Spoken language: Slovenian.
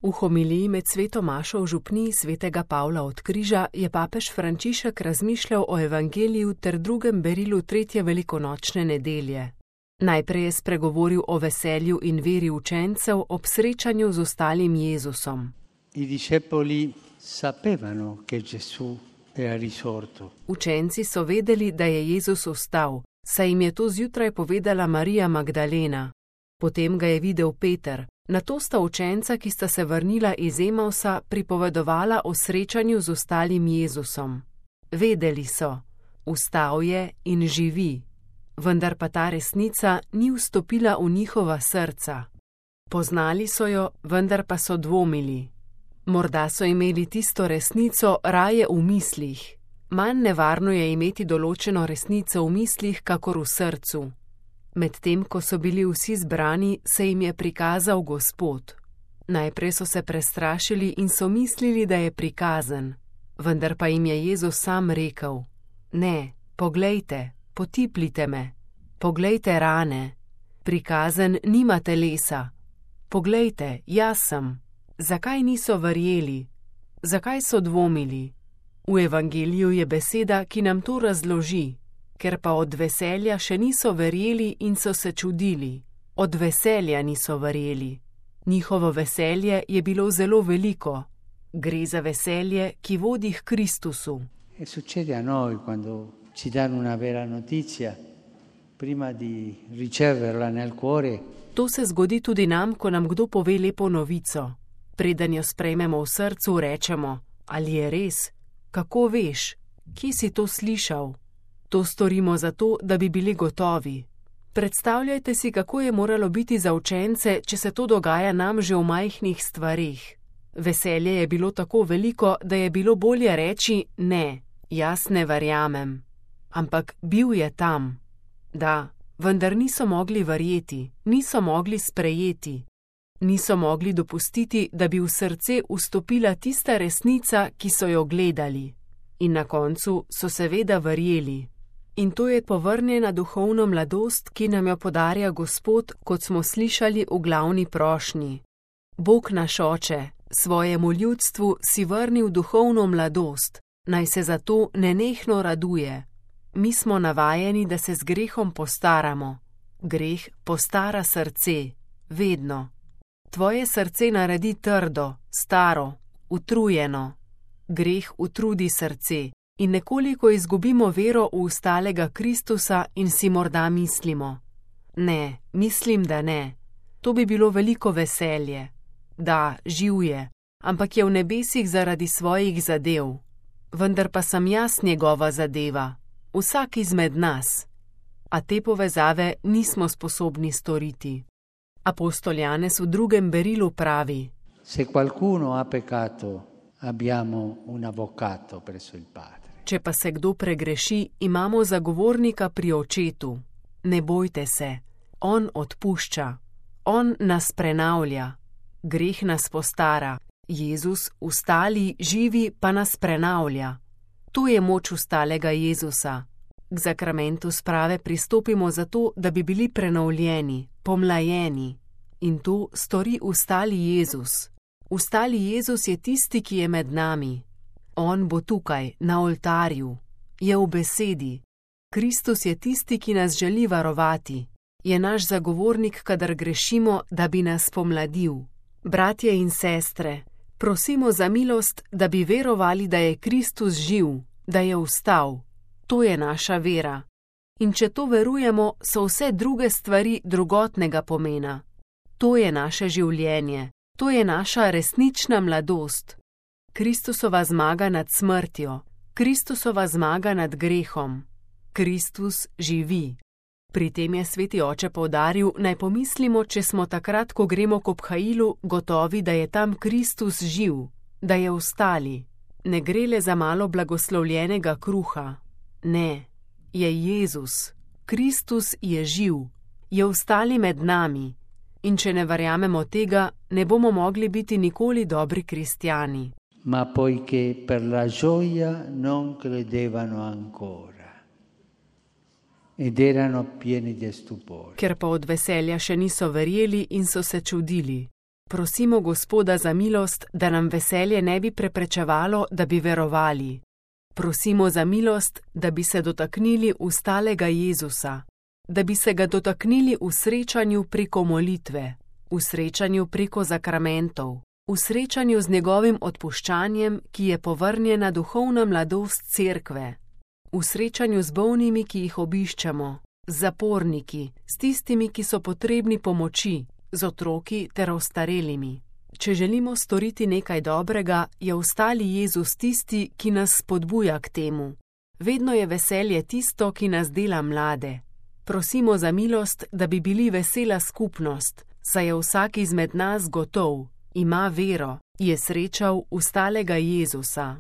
V homiliji med sveto mašo v župniji svetega Pavla od Križa je papež Frančišek razmišljal o evangeliju ter drugem berilu tretje velikonočne nedelje. Najprej je spregovoril o veselju in veri učencev ob srečanju z ostalim Jezusom. I discepoli sapevano che Gesù era risorto. Učenci so vedeli, da je Jezus vstal, saj jim je to zjutraj povedala Marija Magdalena. Potem ga je videl Peter. Nato sta učenca, ki sta se vrnila iz Emausa, pripovedovala o srečanju z ostalim Jezusom. Vedeli so, vstal je in živi, vendar pa ta resnica ni vstopila v njihova srca. Poznali so jo, vendar pa so dvomili. Morda so imeli tisto resnico raje v mislih. Manj nevarno je imeti določeno resnico v mislih, kakor v srcu. Medtem, ko so bili vsi zbrani, se jim je prikazal Gospod. Najprej so se prestrašili in so mislili, da je prikazen. Vendar pa jim je Jezus sam rekel: Ne, poglejte, potiplite me. Poglejte rane. Prikazen nima telesa. Poglejte, jaz sem. Zakaj niso verjeli? Zakaj so dvomili? V evangeliju je beseda, ki nam to razloži. Ker pa od veselja še niso verjeli in so se čudili. Od veselja niso verjeli. Njihovo veselje je bilo zelo veliko. Gre za veselje, ki vodi k Kristusu. E succede a noi quando ci danno una vera notizia, prima di riceverla nel cuore. To se zgodi tudi nam, ko nam kdo pove lepo novico. Preden jo sprejmemo v srcu, rečemo: Ali je res? Kako veš? Kje si to slišal? To storimo zato, da bi bili gotovi. Predstavljajte si, kako je moralo biti za učence, če se to dogaja nam že v majhnih stvarih. Veselje je bilo tako veliko, da je bilo bolje reči: Ne, jaz ne verjamem. Ampak bil je tam. Da, vendar niso mogli verjeti, niso mogli sprejeti. Niso mogli dopustiti, da bi v srce vstopila tista resnica, ki so jo gledali. In na koncu so seveda verjeli. In to je povrnjena duhovna mladost, ki nam jo podarja Gospod, kot smo slišali v glavni prošnji. Bog naš Oče, svojemu ljudstvu si vrnil duhovno mladost, naj se zato nenehno raduje. Mi smo navajeni, da se z grehom postaramo. Greh postara srce, vedno. Tvoje srce naredi trdo, staro, utrujeno. Greh utrudi srce in nekoliko izgubimo vero v vstalega Kristusa in si morda mislimo: Ne, mislim, da ne. To bi bilo veliko veselje. Da, živ je, ampak je v nebesih zaradi svojih zadev. Vendar pa sem jaz njegova zadeva, vsak izmed nas. A te povezave nismo sposobni storiti. Apostol Janez v drugem berilu pravi: Se qualcuno ha peccato, abbiamo un avvocato presso il Padre. Če pa se kdo pregreši, imamo zagovornika pri Očetu. Ne bojte se, on odpušča, on nas prenavlja. Greh nas postara, Jezus, vstali, živi, pa nas prenavlja. To je moč vstalega Jezusa. K zakramentu sprave pristopimo zato, da bi bili prenovljeni, pomlajeni. In to stori vstali Jezus. Vstali Jezus je tisti, ki je med nami. On bo tukaj, na oltarju. Je v besedi. Kristus je tisti, ki nas želi varovati. Je naš zagovornik, kadar grešimo, da bi nas pomladil. Bratje in sestre, prosimo za milost, da bi verovali, da je Kristus živ, da je vstal. To je naša vera. In če to verujemo, so vse druge stvari drugotnega pomena. To je naše življenje. To je naša resnična mladost. Kristusova zmaga nad smrtjo. Kristusova zmaga nad grehom. Kristus živi. Pri tem je sveti oče poudaril, naj pomislimo, če smo takrat, ko gremo k obhajilu, gotovi, da je tam Kristus živ, da je vstali. Ne gre le za malo blagoslovljenega kruha. Ne, je Jezus. Kristus je živ. Je vstali med nami. In če ne verjamemo tega, ne bomo mogli biti nikoli dobri kristjani. Ma poiché per la gioia non credevano ancora ed erano pieni di stupore. Ker pa od veselja še niso verjeli in so se čudili. Prosimo Gospoda za milost, da nam veselje ne bi preprečevalo, da bi verovali. Prosimo za milost, da bi se dotaknili ustalega Jezusa, da bi se ga dotaknili v srečanju preko molitve, v srečanju preko zakramentov, v srečanju z njegovim odpuščanjem, ki je povrnjena duhovna mladost cerkve, v srečanju z bolnimi, ki jih obiščemo, z zaporniki, s tistimi, ki so potrebni pomoči, z otroki ter ostarelimi. Če želimo storiti nekaj dobrega, je ostali Jezus tisti, ki nas spodbuja k temu. Vedno je veselje tisto, ki nas dela mlade. Prosimo za milost, da bi bili vesela skupnost, saj je vsak izmed nas gotov, ima vero, je srečal ustalega Jezusa.